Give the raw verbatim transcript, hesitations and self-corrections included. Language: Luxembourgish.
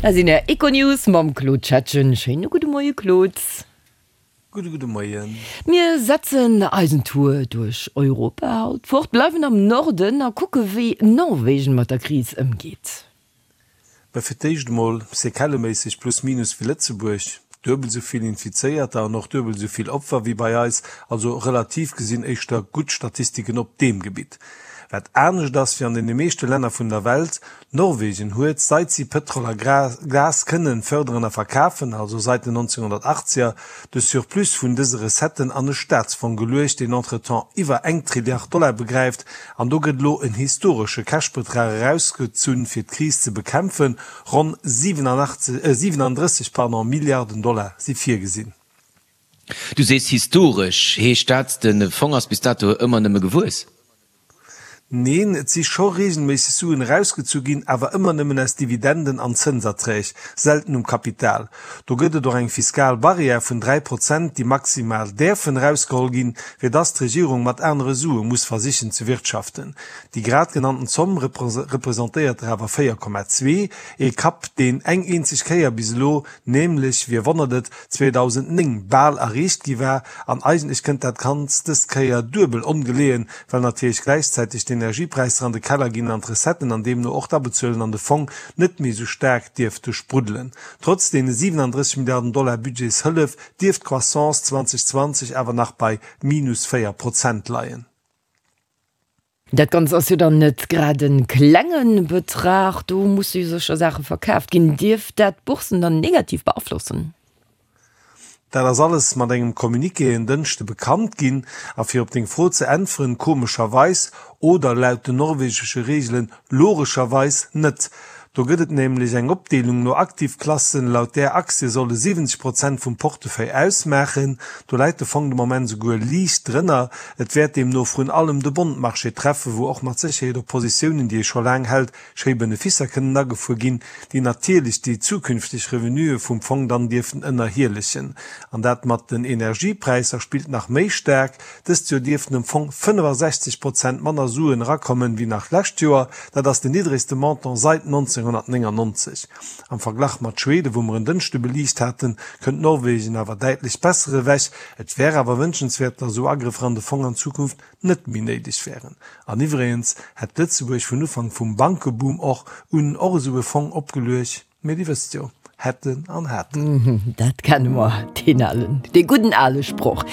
Dat sinn Är Econews mam Claude Schettgen. Schéine gudde Moie Claude. Gudde gudde Moien. Mir setzen eisen Tour duerch Europa haut fort, bleiwen am Norden a kucke wéi Norwegen mat der Kris ëmgeet. Mä fir d'éischt emol, Sequelleméisseg plus minus wéi Lëtzebuerg, duebel esou vill Infizéierter an och duebel esou vill Opfer wéi bei eis, also relativ gesinn éischter gutt Statistiken op deem Gebitt. Wat anescht ass wéi an deene meeschte Länner vun der Welt, Norwegen huet, seit si Pëtrol a Gas kënnen fërderen a verkafen, also seit den nonzénghunnertachtzeger, de Surplus vun dëse Recetten an e Staatsfong geluecht, deen entretemps iwwer eng Trilliard Dollar begräift. An do gëtt elo en historesche Cashbetrag erausgezunn, fir d'Kris ze bekämpfen, ronn siewenundrësseg Milliarden Dollar si virgesinn. Du sees historesch. Heescht dat, de Fong ass bis dato ëmmer nëmme gewuess? Neen, et si scho reegelméisseg Suen erausgezu ginn, awer ëmmer nëmmen aus Dividenden an Zënserträg, selten um Kapital. Do gëtt et och eng fiskal Barrière vun dräi Prozent, déi maximal däerfen erausgeholl ginn, fir dass d'Regierung mat anere Sue muss versichen ze wirtschaften. Déi grad genannten Zomm representéiert der awer véier Komma zwee, ee Kapp, deen eng eenzeg Kéier bis elo, nämlech, wie wonnert et, zweedausendnéng bal erreecht gi war. An eigentlech kënnt dat Ganzt dës Kéier duebel ongeleeën, well natierlech gläichzäiteg d'Energiepräisser an de Keller ginn an d'Recetten an deemno och d'Abezuelen an de Fong net méi esou staark dierfte spruddelen. Trotz deene siwenandrësseg Milliarden Dollar Budgetshëllef dierft d'Croissance zweedausendzwanzeg awer nach bei minus véier Prozent leien. Dat Ganzt ass jo dann net grad e klenge Betrag, do musse jo sécher Saache verkaaft ginn. Dierft dat d'Boursen dann negativ beaflossen? Dat ass alles mat engem Communiqué en Dënschde bekannt ginn. A fir op deng Fro ze äntweren, komescherweis, oder laut den norwegesche Reegelen logescherweis, net. Do gëtt et nämlech eng Opdeelung no Aktivklassen, laut där Aktie solle siwwenzeg Prozent vum Portefeuille ausmaachen. Do läit de Fong de Moment souguer liicht drënner. Et wäert deemno vrun allem de Bondmarché treffen, wou och mat Sécherheet op Positiounen, déi ee scho laang hält, schéi Benefisser kënnen agefuer ginn, déi natierlech déi zukünfteg Revenuë vum Fong dann dierften ënnerhielechen. An dat mat den Energiepräisser spillt nach méi staark. Dëst Joer dierften am Fong fënnefasechzeg Prozent manner Suen erakommen, wéi nach d'lescht Joer. Dat ass den niddregste Montant sait nonzénghunnertnéngannonzeg. Am Verglach mat Schweden, wou mer en Dënschde beliicht haten, kënnt Norwegen awer däitlech besser ewech. Et wär awer wënschenswäert, datt esou Agrëffer an de Fong an Zukunft net méi néideg wären. An iwwregens hätt Lëtzebuerg vun Ufank vum Bankeboom och un och esou e Fong opgeluecht. Mee Dir wësst jo, hätten an haten. Dat kenne mer, deen alen, dee gudden ale Sproch.